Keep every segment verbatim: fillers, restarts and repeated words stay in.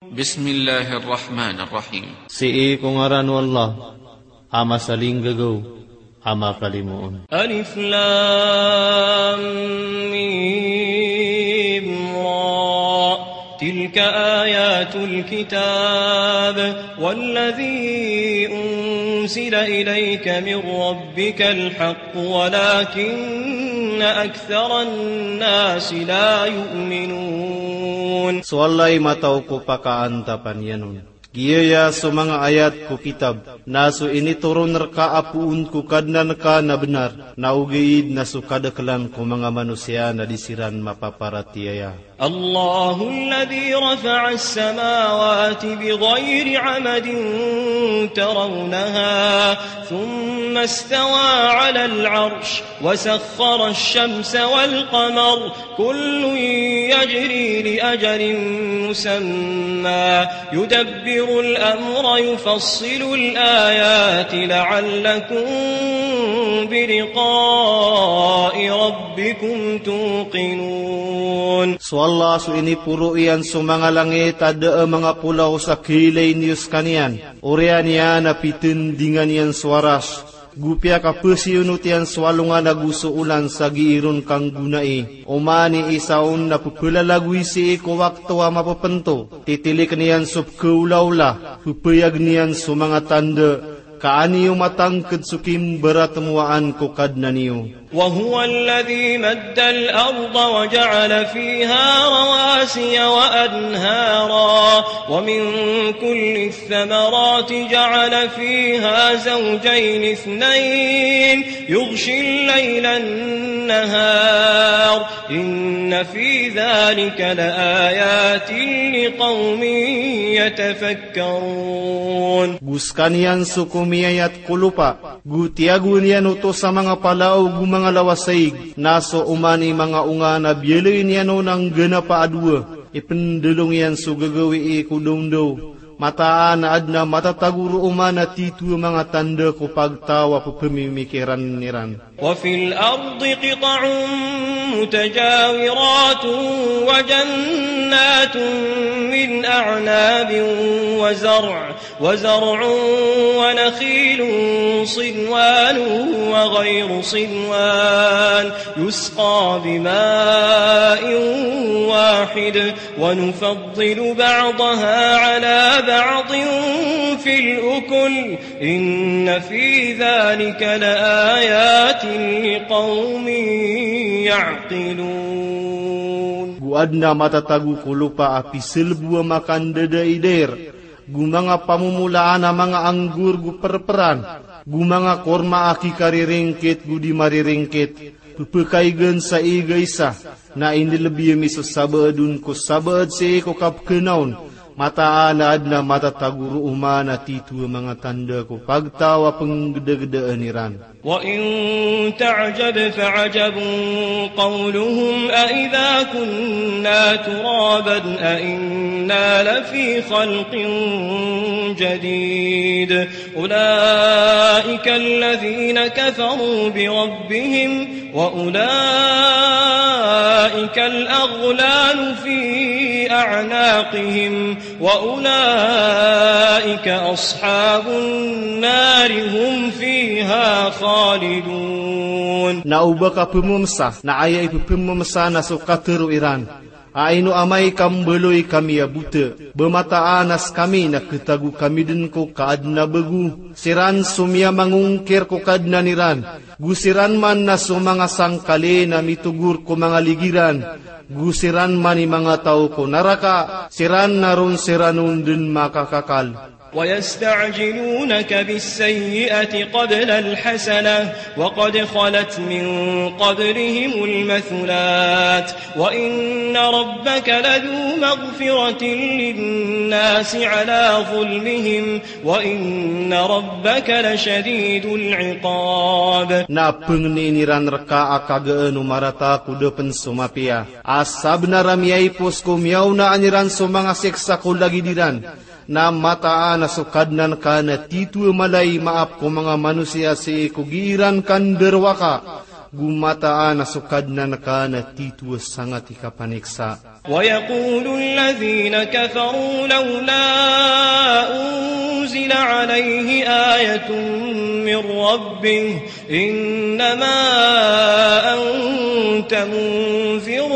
Bismillahir Rahmanir Rahim. Sii ko ngaran o Allah, a masalinggagaw, a makalimoon. Alif Lam Mim Ra. Tilka ayatul kitab, walladhi unsila ilayka min rabbikal haqq, walakinna aktharan nasi la yu'minun. So Allah i mataw ko pakaantapan iyan on. Giyaya so manga ayat ko kitab, na so initoron rka a poon ko Kadnan ka na bnar, na ogaid na so kadaklan ko manga manosiya na di siran mapaparatiyaya. Allahul ladhi rafa'as samawati bighayri amadin tarawnaha, thumma istawa 'alal 'arsh, wa sakhkharash shamsa wal qamar, kullun yajri li ajalin musamma, yudabbirul amra, yufassilul ayati la'allakum bi liqa'i rabbikum tuqinun. So Allah so iniporo iyan so manga langit a da a manga polaw sa khailay niyo skaniyan. Oriyan iyan a pitindingan iyan so Arash. Go piyakapasiyonot iyan so alongan ago so olan sa gii ron kanggonai. Oman i isa on na pepelalagoy sii ko wakto a mapepento. Titilikn iyan so pekaolaola, pepayagn iyan so manga tanda, ka an iyo matangked so kimbaratmowaan ko Kadnan iyo. Wa huwal ladhi maddal arda wa ja'ala fiha rawasiya wa anhara, wa min kulli الثمرات جعل فيها زوجين اثنين يغشي الليل النهار إن في ذلك لآيات لقوم يتفكرون. Go skaniyan so komiyayat ko lopa, go tiyagoan iyan oto sa manga palao go manga lawasaig, na so oman i manga onga na biyaloy niyan on a ngganapa a dowa. Ipendolong iyan so gagawii ko dawndaw. Mataan a adn a matatago roo man a titho a manga tanda ko pagtaw a pepemimikiran iran. وفي الأرض قطع متجاورات وجنات من أعناب وزرع وزرع ونخيل صنوان وغير صنوان يسقى بماء واحد ونفضل بعضها على بعض في الأكل إن في ذلك لآيات لقوم يعقلون. Go adn a matatago ko lopa a piselbo a makandadaidair, go manga pamomolaan a manga anggur go perperan, go manga korma a kikariringkit go di mariringkit, pepekaigen sa igaisa, na inilebiyem i so sabaad on ko sabaad sii ko kapekena on, mataan a adn a matatago roo man a titho a manga tanda ko pagtaw a penggedagedaan iran. وإن تعجب فعجب قولهم أإذا كنا ترابا أإنا لفي خلق جديد أولئك الذين كفروا بربهم وأولئك الأغلال في أعناقهم وأولئك أصحاب النار هم فيها خالدون. Na o ba ka pememesa, na aya ipepememesa na so katero iran. A ino amay ka mbaloy kami a bota, ba mataan a sekami na ketago kami den ko kaadn a bego. Siran so miyamangongkir ko Kadnan iran. Go siran man na so manga sangkali na mitogor ko manga ligiran. Go siran man i manga taw ko naraka, siran na ron siran on den makakakal. ويستعجلونك بالسيئة قبل الحسنة وقد خلت من قبلهم المثلات وإن ربك لذو مغفرة للناس على ظلمهم وإن ربك لشديد العقاب. Na pengnin iran reka a kagaan o marata ko da pen so mapiya. A sabnar a miyaipos ko miyaonaan iran so manga siksa ko lagid iran. Na mataan a so Kadnan ka na titho a mala i maap ko manga manosiya sii ko gii ran kandarowaka. Go mataan a so Kadnan ka na titho a sangat i kapaniksa. ويقول الذين كفروا لولا أنزل عليه آية من ربه إنما أنت منذر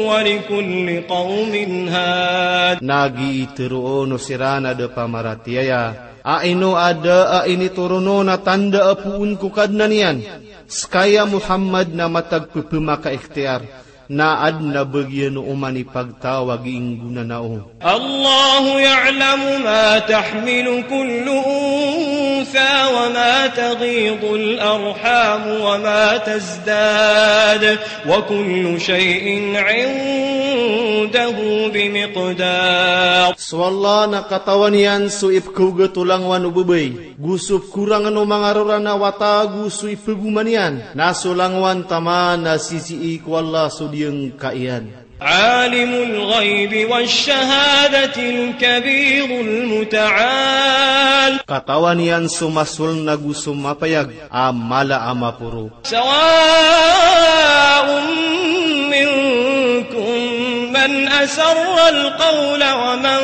ولكل قوم هاد. Na giya i tharoon o siran a da pamaratiyaya a ino a da a initoron on a tanda a poon ko Kadnan iyan. Ska ya Muhammad na matag pphmakaikhtiyar, na adn a bagiyan o oman i pagtaw a gii nggonanao. الله يعلم ما تحمل كل أنثى وما تغيض الأرحام وما تزداد وكل شيء عنده بمقدار. So Allah na katawan iyan so ipkhaogat o langowan o babay, go so pkorangn o manga rora na wata, go so iphagoman iyan. Na so langowan taman na sisii ko Allah so diyangka iyan. عالم الغيب والشهادة الكبير المتعال. Katawan iyan so masoln ago so mapayag a mala a maporo. سواء منكم من أسر القول ومن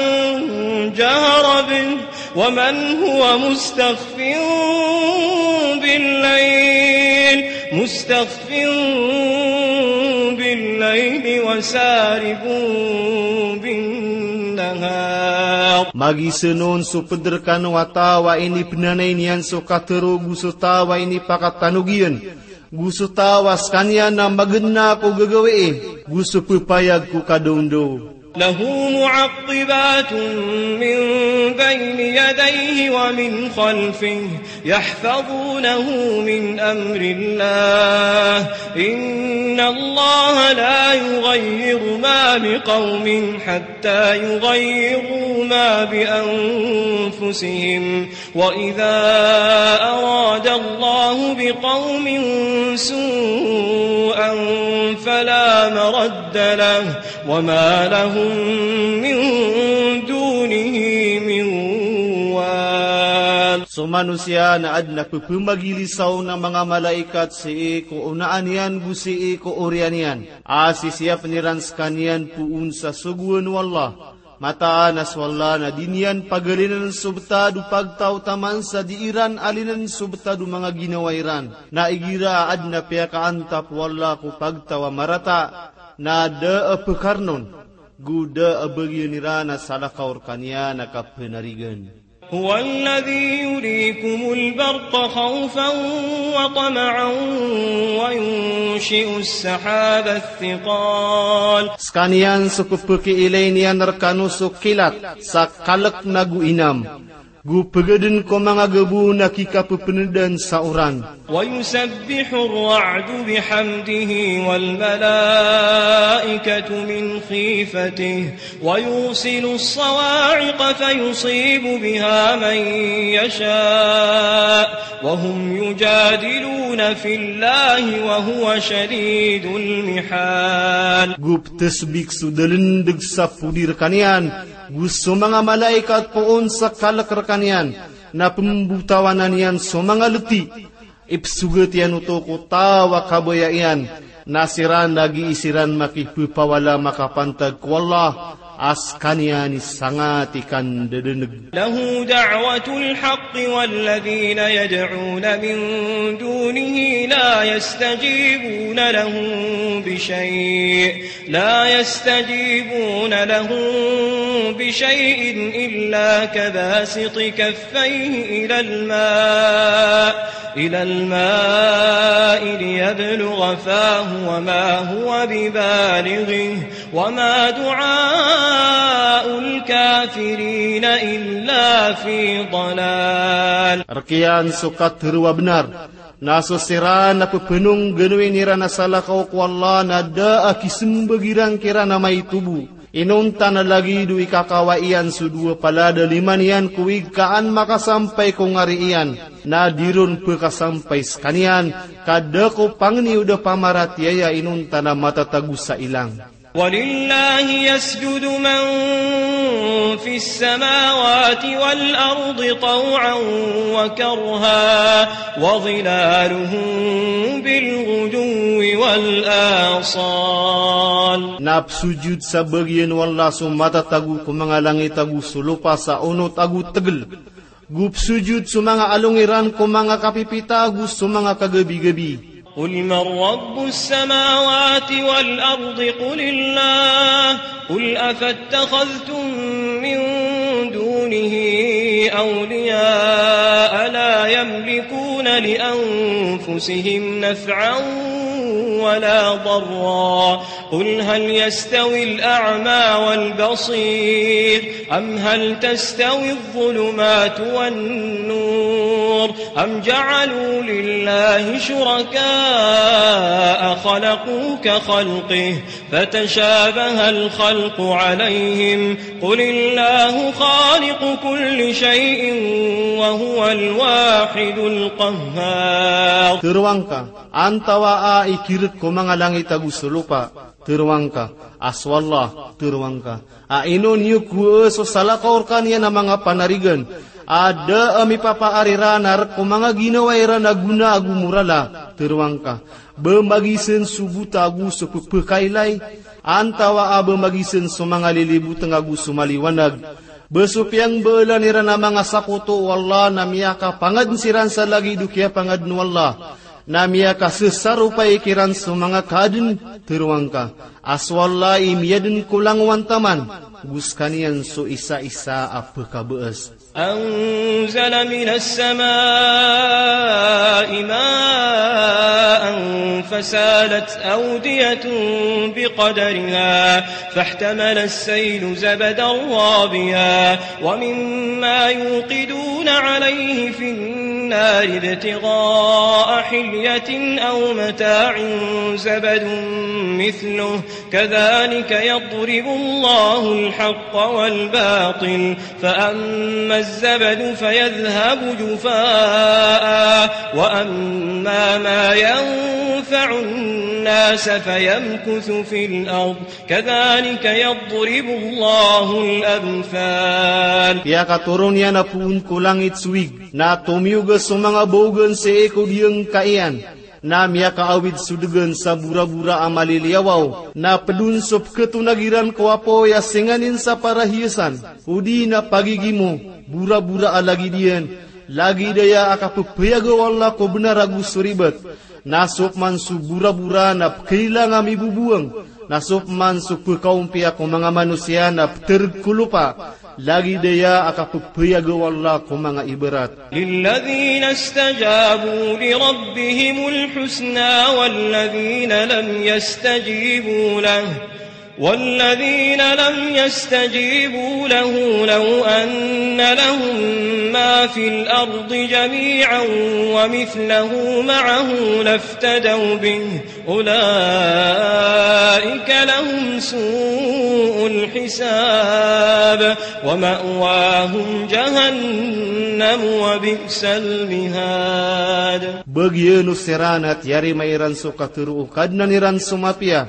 جهر به ومن هو مستخف بالليل، مستخف بالليل وسارب بالنهار. Magisn on so pd rkano a taw a inipnanay niyan so katharo go so taw a inipakatanog iyan, go so taw a skaniyan na magna ko gagawii, go so ppayag ko kadawndaw. له معقبات من بين يديه ومن خلفه يحفظونه من أمر الله، إن الله لا يغير ما بقوم حتى يغيروا ما بأنفسهم، وإذا أراد الله بقوم سوءا فلا مرد له وما لهم من دونه من وال. So manosiya na adn a pphamagilisaw na manga malaikat sii ko onaan iyan go sii ko oriyan iyan, a sisiyapn iran skaniyan poon sa sogoan o Allah. Mataan a so Allah na di niyan pagalinan so btad o pagtaw taman sa di iran alinan so btad o manga ginawa iran. Na igira a adn a piyakaantap o Allah ko pagtaw a marata, na da a pkarn on, go da a bagiyan iran a salakaw rkaniyan a kapnarigan. هو الذي يريكم البرق خوفا وطمعا وينشئ السحاب الثقال. Skaniyan so pphakiilay niyan rkano so kilat sa kalk nago inam, go pgadn ko manga gabo na kikappndan sa oran. ويسبح الرعد بحمده والملائكة من خيفته ويرسل الصواعق فيصيب بها من يشاء وهم يجادلون في الله وهو شديد المحال. Go ptsbik so dalndg sa podi rkaniyan, go so manga malaikat poon sa kalk rkaniyan, na pmbotawanan iyan so manga lti. Ipsogat iyan oto ko taw a kabaya iyan, na siran na gii siran makipphawala makapantag ko Allah, a skaniyan i sangat i kandadaneg. له دعوة الحق والذين يدعون من دونه لا يستجيبون لهم بشيء لا يستجيبون لهم بشيء إلا كباسط كفيه إلى الماء، إلى الماء ليبلغ فاه وما هو ببالغه وما دعاء الكافرين إلا في ضلال. Rk iyan so katharo a bnar. Na so siran na pphanongganoin iran a salakaw ko Allah na da a kismbag iran kiran a maito bo. Inonta na lagid o ikakawai iyan so dowa palad a lima niyan ko ig ka an makasampay ko ngari iyan, na di ron pkasampay skaniyan, ka da ko pangni o da pamaratiyaya inonta na matatago sa ilang. ولله يسجد من في السماوات والأرض طوعا وكرها وظلالهم بالغدو والآصال. Na psojud sa bagian o Allah so matatago ko manga langit ago so lopa sa onot ago tegel. Go psojud so manga along iran ko manga kapipita ago so manga kagabigabi. قل من رب السماوات والأرض قل الله، قل أفاتخذتم من دونه أولياء لا يملكون لأنفسهم نفعا ولا ضرا، قل هل يستوي الأعمى والبصير أم هل تستوي الظلمات والنور أم جعلوا لله شركاء خلقوا كخلقه فتشابه الخلق عليهم، قل الله خالق كل شيء وهو الواحد القهار. Teroang ka, antawaa i kirek ko manga langit ago so lopa? Teroang ka a so Allah. Teroang ka a ino niyo kowaa so salakaw rekaniyan a manga panarigan a da a mipapaar iran a rek ko manga ginawa iran a gona ago morala? Teroang ka, ba magisen so bota ago so pepekailay, antawaa ba magisen so manga liliboteng ago so maliwanag? Ba so piyangbaelan iran a manga sakoto o Allah na miyakapangaden siran sa lagid o kiyapangaden o Allah, na miyakasesaropay kiran so manga kaaden? Teroang ka a so Allah i miyaden ko langowan taman, go sekaniyan so isaisa a pekabaas. أنزل من السماء ماء فسالت أودية بقدرها فاحتمل السيل زبدا رابيا ومما يوقدون عليه في النار ابتغاء حلية أو متاع زبد مثله كذلك يضرب الله الحق والباطل فأما الزبد فيذهب جفاء وأما ما ينفع الناس فيمكث في الأرض كذلك يضرب الله الأمثال. Piyakatoron iyan a poon ko langit so wig, na tomiyoga so manga baogan sii ko diyangka iyan, na miyakaawid so degan sa borabora a maliliyawaw, na pedon so peketonag iran ko apoy a singanin sa parahiyasan, odi na pagigimo, borabora a lagid iyan, lagid aya a kapepeyaga o Allah ko benar ago so ribat. Na so peman so borabora na pekailang a miboboang, na so peman so pekaompiya ko manga manosiya na petereg ko lopa, lagid aya a kapepeyaga o Allah ko manga ibarat. للذين استجابوا لربهم الحسنى والذين لم يستجيبوا له، والذين لم يستجيبوا له لو أن لهم ما في الأرض جميعا ومثله معه لافتدوا به أولئك لهم سوء الحساب ومأواهم جهنم وبئس المهاد. Bagian o siran a tiyarima iran so katharo o Kadnan iran so mapiya,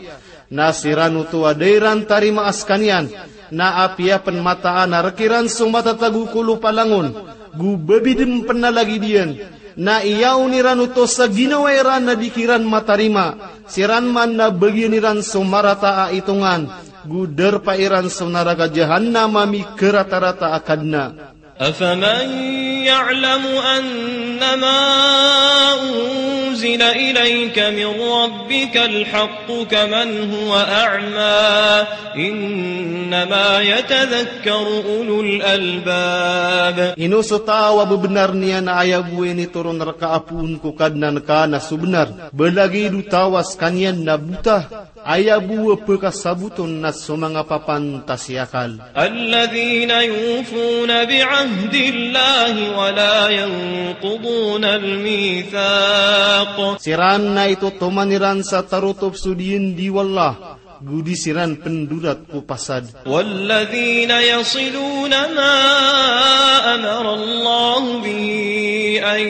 na siran oto a da iran tarima a sekaniyan, na apiya pen mataan a rek iran so matatago ko lopa langon, go babidem pen a lagid iyan, na iyaon iran oto sa ginawa iran a di kiran matarima, siran man na bagian iran so marata a itongan, go darpa iran so naraka Jahannam a mikaratarata a kadna. أفمن يعلم أنما أنزل إليك من ربك الحق كمن هو أعمى إنما يتذكر أولو الألباب. Ino so taw a bebenar niyan a aya bo a initoron reka a poon ko Kadnan ka na so benar, ba lagid o taw a sekaniyan na bota, aya bo a pekasaboton na so manga papantas i akal. الذين يوفون بعهد الله ولا ينقضون الميثاق. Siran na itotoman iran sa tarotop so diyendi o Allah, go di siran pendorat ko pasad. والذين يصلون ما أمر الله به أن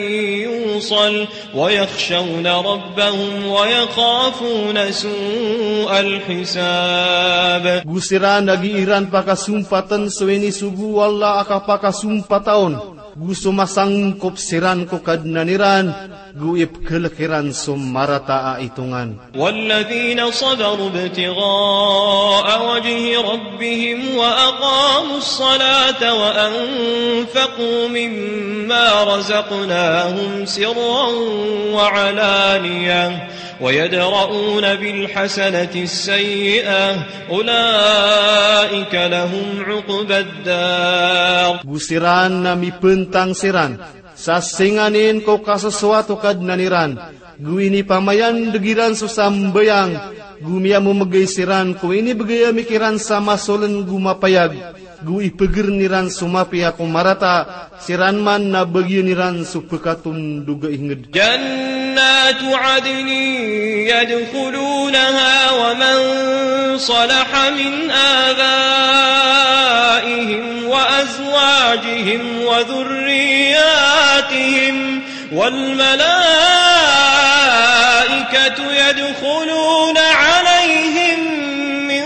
يوصل ويخشون ربهم ويخافون سوء الحساب. Go siran a gii ran pakasompatn so inisogo o Allah a kapakasompata on, go so masangkop siran ko Kadnan iran, go ipkhlk iran so marata a itongan. والذين صبروا ابتغاء وجه ربهم وأقاموا الصلاة وأنفقوا مما رزقناهم سرا وعلانية ويدرءون بالحسنة السيئة أولئك لهم عقبى الدار. Go siran na mipntang siran sa singanin ko kasosoat o Kadnan iran, go inipamayandg iran so sambayang, go miyamomgay siran ko inibgay ami kiran sa masoln go mapayag, go ipgrn iran so mapiya ko marata, siran man na bagian iran so pkatondog a ingd. جنات عدن يدخلونها ومن صلح من آبائهم وأزواجهم وذرياتهم والملائكة يدخلون عليهم من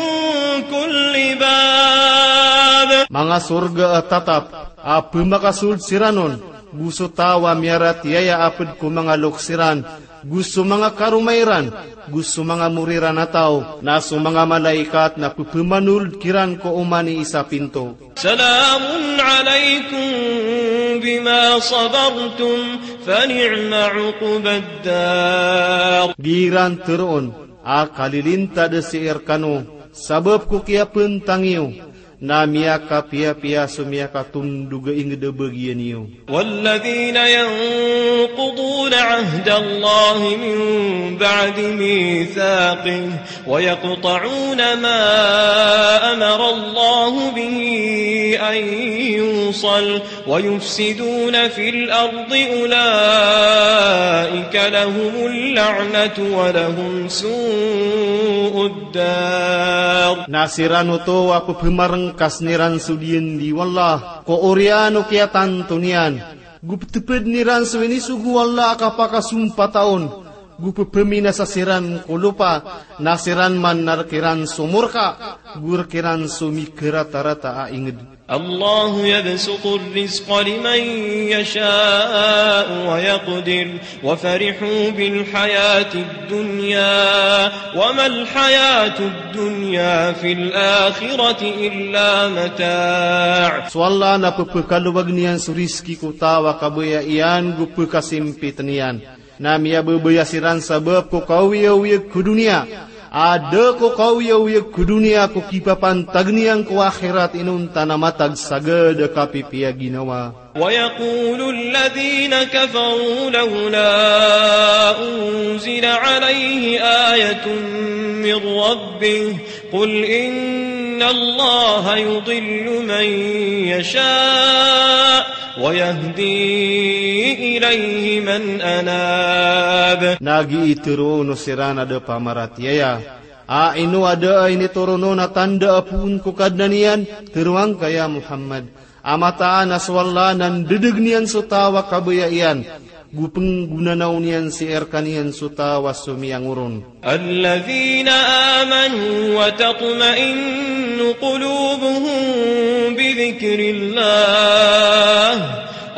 كل باب. Manga sorga a tatap a pmakasold siran on, go so taw a miyaratiyaya a pd ko manga loks iran, go so manga karoma iran, go so manga mori ran a taw, na so manga malaikat na pphamanold kiran ko oman i isa pinto. سلام عليكم بما صبرتم فنعم عقبى الدار. Gii ran tharoon a kalilintad sii rkano sabap ko kiyapntang iyo, na miyakapiyapiya so miyakatondog a ingd a bagian iyo. والذين ينقضون عهد الله من بعد ميثاقه ويقطعون ما أمر الله به أن يوصل ويفسدون في الأرض أولئك لهم اللعنة ولهم سوء الدار. Na siran oto a pphamarngkas iran so diyandi o Allah ko oriyan o kiyatanto niyan, go ptpdn iran so inisogo o Allah a kapakasompata on, go pphaminasa siran ko lopa, na siran man na rk iran so morka, go rk iran so mikaratarata a ingd. الله يبسط الرزق لمن يشاء ويقدر وفرحوا بالحياة الدنيا وما الحياة الدنيا في الآخرة إلا متاع. So Allah na pphakalobagn iyan so rizki ko taw a kabaya iyan go pkhasimpitn iyan. Na miyababaya siran sabap ko kaoyaoyag ko doniya. A da ko kaoyaoyag ko doniya ko kipapantag niyan ko akhirat inonta na matag sagad a kapipiya ginawa. ويقول الذين كفروا لولا أنزل عليه آية من ربه قل إن الله يضل من يشاء ويهدي إليه من أناب. Na gii tharoon o siran a da pamaratiyaya a ino a da a initoron on a tanda a poon ko Kadnan iyan, tharoang ka ya Muhammad, a mataan a so Allah na ndadagn iyan so taw a kabaya iyan, go pnggonanaw niyan sii rkaniyan so taw a so miyangoron. الذين آمنوا وتطمئن قلوبهم بذكر الله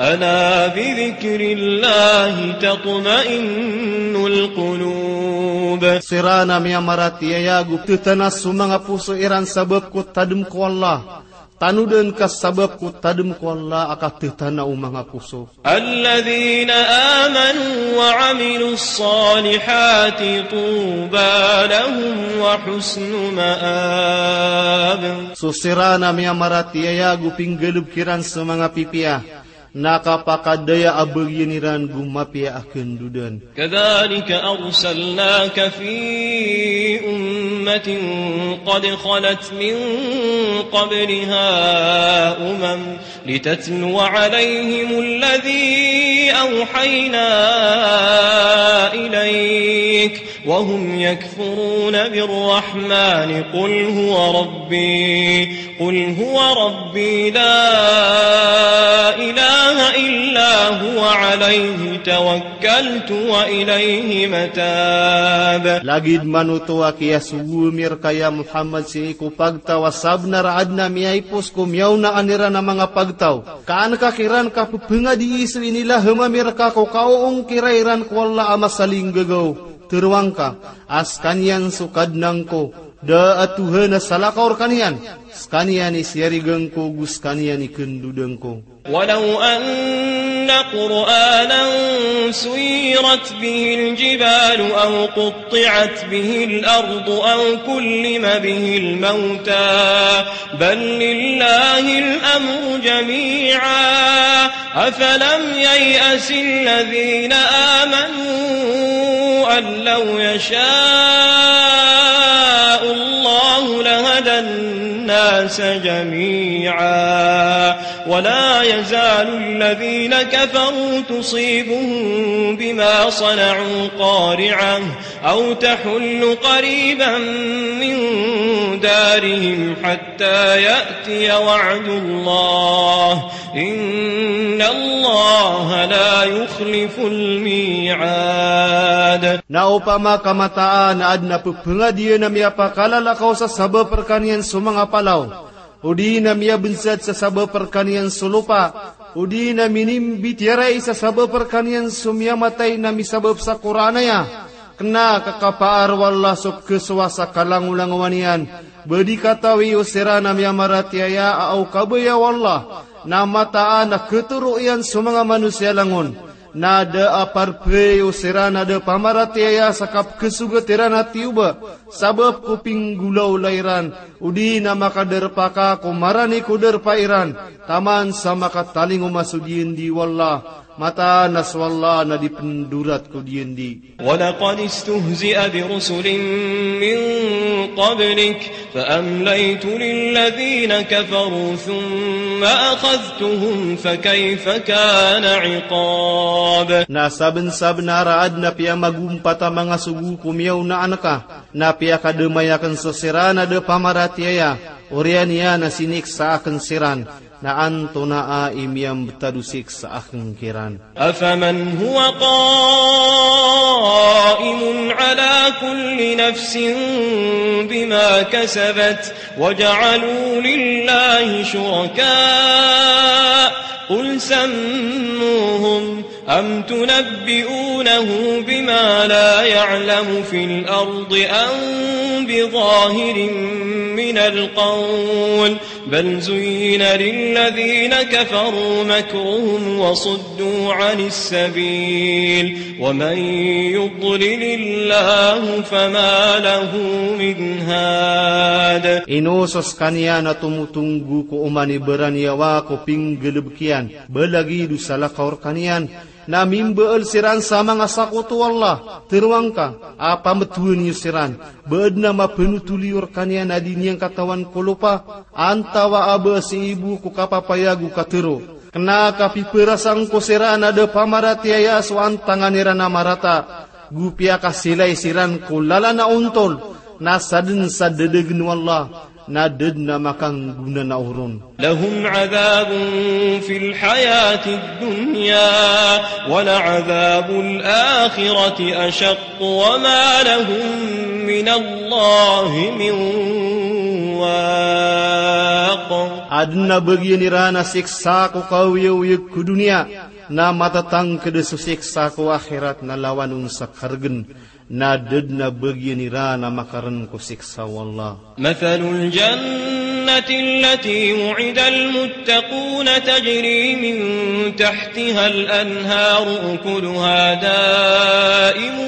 ألا بذكر الله تطمئن القلوب. Siran a miyamaratiyaya go pthanas so manga poso iran sabap ko tadm ko Allah. Tanodan ka sabap ko tadm ko Allah a kathatana o manga poso. الذين آمنوا وعملوا الصالحات طوبى لهم وحسن مآب. So siran a miyamaratiyaya go pinggalbk iran so manga pipiya, na kapakadaya a bagian iran go mapiya a kandodan. كذلك أرسلناك في أمة قد خلت من قبلها أمم لتتلو عليهم الذي أوحينا إليك وهم يكفرون بالرحمن قل هو ربي قل هو ربي لا إله إلا هو عليه توكلت وإليه متاب. Lagid manoto a kiyasogo ami rka ya Muhammad sii ko pagtaw a sabnar a adn a miyaipos ko miyaonaan iran a manga pagtaw. Ka an ka kiran kapephangadii so inilaham ami rka ko kaoongkira iran ko Allah a masalinggagaw. Teroang ka a skaniyan so Kadnan ko, da a Tohan a salakaw rkaniyan, skaniyan i siyarigan ko go skaniyan i kandodn ko. ولو أن قرآنا سيرت به الجبال أو قطعت به الأرض أو كلم به الموتى بل لله الأمر جميعا أفلم ييأس الذين آمنوا أن لو يشاء الله لهدى الناس جميعا ولا يزال الذين كفروا تصيبهم بما صنعوا قارعة أو تحل قريبا من دارهم حتى يأتي وعد الله إن الله لا يخلف الميعاد. Na opama ka mataan a adn a pephangadii a miyapakalalakow sa sabap rkaniyan so manga palaw, odi na miyabnsad sa sabap rkaniyan so lopa, odi na minimbitiyarai sa sabap rkaniyan so miyamatay na misabap sa Qur'an aya, kna ka kapaar o Allah so pkhasowa sa kalangolangowan iyan, ba di katawi o siran a miyamaratiyaya a o kabaya o Allah, na mataan a khatoro iyan so manga manosiya langon. Na da a parpay o siran a da pamaratiyaya sa kapkhasogat iran a tiyoba, sabap ko pinggolawla iran, odi na makadarpa ka ko marani ko darpa iran, taman sa makatalingoma so diyandi o Allah, mataan a so Allah na di pndorat ko diyandi. ولقد استهزئ برسل من قبلك فأمليت للذين كفروا ثم أخذتهم فكيف كان عقاب. Na sabnsabnar a adn a piyamagompat a manga sogo ko miyaonaan ka, na piyakadamay akn so siran a da pamaratiyaya, oriyan iyan a siniksa akn siran, na antonaa i miyambtad o siksa akn kiran. أفمن هو قائم على كل نفس بما كسبت وجعلوا لله شركاء قل سموهم أم تنبئونه بما لا يعلم في الأرض أم بظاهر من القول بل زين للذين كفروا مكرهم وصدوا عن السبيل ومن يضلل الله فما له من هاد. Ino so skaniyan a tomotonggo ko oman i baraniyawa ko pinggalbk iyan, ba lagid o salakaw rkaniyan, na mimbaal siran sa manga sakoto o Allah, teroang ka, a pamtowan iyo siran, ba adn a mapanotol iyo rkaniyan a di niyan katawan ko lopa, antawaa ba sii bo ko kapapayag o katero. Kna ka piperasang ko siran a da pamaratiyaya so antangan iran a marata, go piyakasilay siran ko lalan a ontol, na sadn sa dadagn o Allah, na da dn a makanggona na oron. لهم عذاب في الحياة الدنيا ولعذاب الآخرة أشق وما لهم من الله من واق. Adn a bagian iran a siksa ko kaoyagoyag ko doniya, na matatangkd so siksa ko akhirat na lawan on sa kargn. Na da dn a bagian iran a makarn ko siksa o Allah. مثل الجنة التي وعد المتقون تجري من تحتها الأنهار أكلها دائم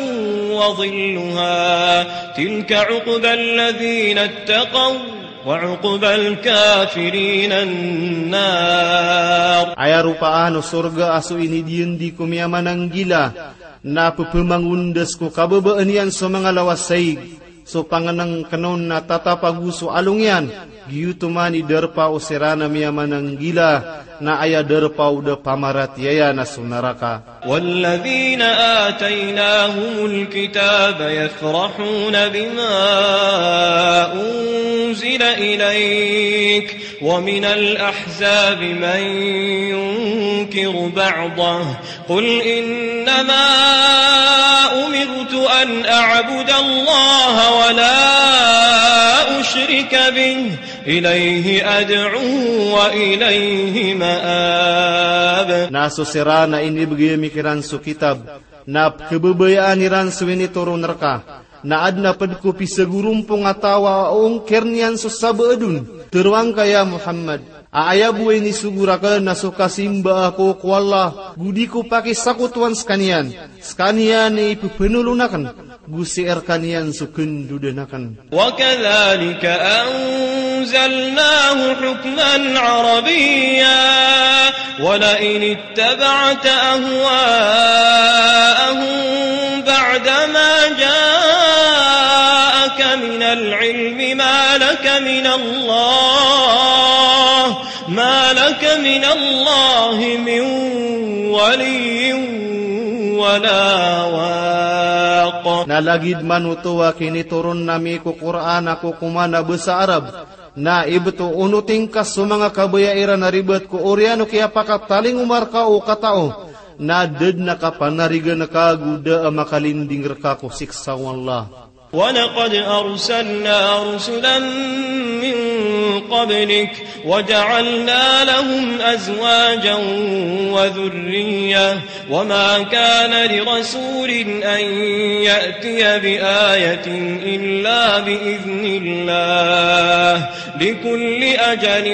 وظلها تلك عقبى الذين اتقوا وعقبى الكافرين النار. Aya ropaan o sorga a so inidiyandi ko miyamananggila, na pephamangondas ko kababaan iyan so manga lawas saig, so pangnngkn on na tatap ago so along iyan, Giyoto man i darpa o siran a miyamananggila, na aya darpa o da pamaratiyaya na so naraka. والذين آتيناهم الكتاب يفرحون بما أنزل إليك ومن الأحزاب من ينكر بعضه قل إنما أمرت أن أعبد الله ولا أشرك به إليه أدعو وإليه مآب. Na so siran a inibgay ami kiran so kitab, na pkhababayaan iran so initoron rka, na adn a pd ko pisagorompong a taw a ongkir iyan so sabaad on. Tharoang ka ya Muhammad, a aya bo a inisogo rakn na so kasimba ako ko Allah, go di ko pakisakotowan skaniyan. Skaniyan i pphanolon akn, go sii rkaniyan so khandodan akn. وكذلك أنزلناه حكما عربيا ولئن اتبعت أهواءهم بعدما جاءك من العلم ما لك من الله ما لك من الله من ولي ولا واق. Na lagid man oto a kinitoron ami ko Qur'an a kokoman a basa Arab, na ibt o onoting ka so manga kabaya iran a ribat ko oriyan o kiyapakatalingoma rka o katao, na da dn a kapanarigan ka go da a makalinding rka ko siksa o Allah. ولقد أرسلنا رسلا من قبلك وجعلنا لهم أزواجا وذرية وما كان لرسول أن يأتي بآية إلا بإذن الله لكل أجل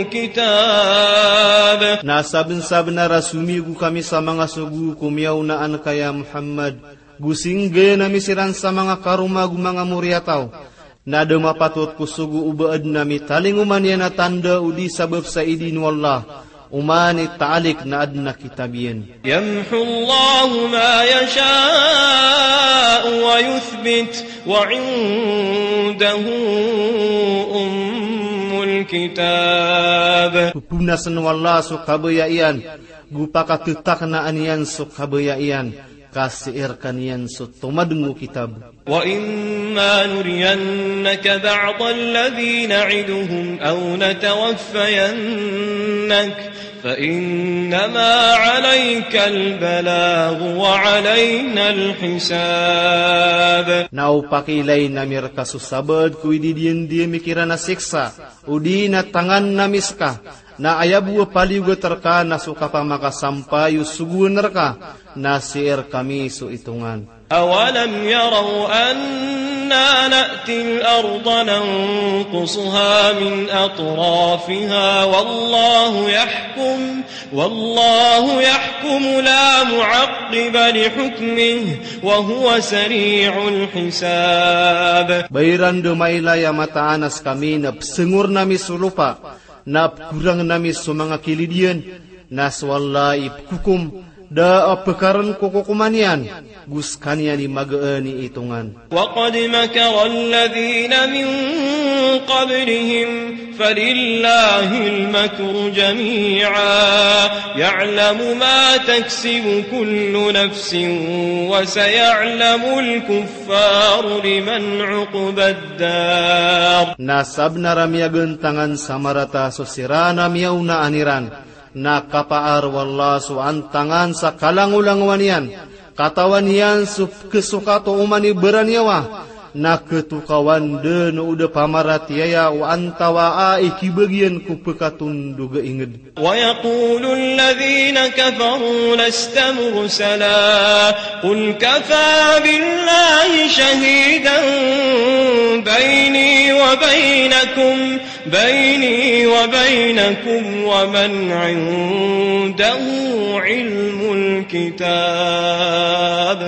كتاب. Na sabnsabnar a somiyogo kami sa manga sogo ko miyaonaan ka ya Muhammad, go singgay ami siran sa manga karoma go manga moriyataw. Na da mapatot ko sogo o ba adn a mitalingoma niyan a tanda odi sabap sa idin o Allah, oman i taalik na adn a kitab iyan. يمحو الله ما يشاء ويثبت وعنده أم الكتاب. Pphonasn o Allah so kabaya iyan, go pakattaknaan iyan so kabaya iyan, ka sii rkaniyan so tomadng o kitab. وإما نرينك بعض الذي نعدهم أو نتوفينك فإنما عليك البلاغ وعلينا الحساب. Na o pakiilayn ami rka so sabaad ko ididiyan di ami kiran a siksa, odi na tangan ami ska, na aya bo a paliyogat rka na so kapamakasampay o sogoan rka, na sii rkami so itongan. أولم يروا أنا نأتي الأرض ننقصها من أطرافها والله يحكم، والله يحكم لا معقب لحكمه، وهو سريع الحساب. Ba iran dn mailay a mataan a skami na psngorn ami so lopa, na pkorangn ami so manga kilid iyan, na so Allah i pkhokom, da a pkarn ko kokoman iyan, go skaniyan i magaan i itongan. وقد مكر الذين من قبلهم فلله المكر جميعا يعلم ما تكسب كل نفس وسيعلم الكفار لمن عقبى الدار. Na sabnar a miyagantangan sa marata so siran a miyaonaan iran, na kapaar o Allah so antangan sa kalangolangowan iyan, katawan iyan so pkhasokat o oman i baraniyawa, na khatokawan dn o da pamaratiyaya o antawaa i khibagian ko pkhatondog a ingd. ويقول الذين كفروا لست مرسلا قل كفى بالله شهيدا بيني وبينكم بيني وبينكم ومن عنده علم الكتاب.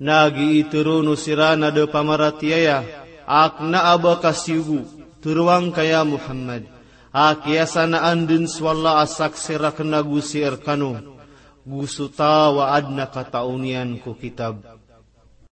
Na giya i tharoon o siran a da pamaratiyaya a kna a ba ka siyogo, tharoang ka ya Muhammad, a kiyasanaan dn so Allah a saksi rakn ago sii rkano, go so taw a adn a kataw niyan ko kitab.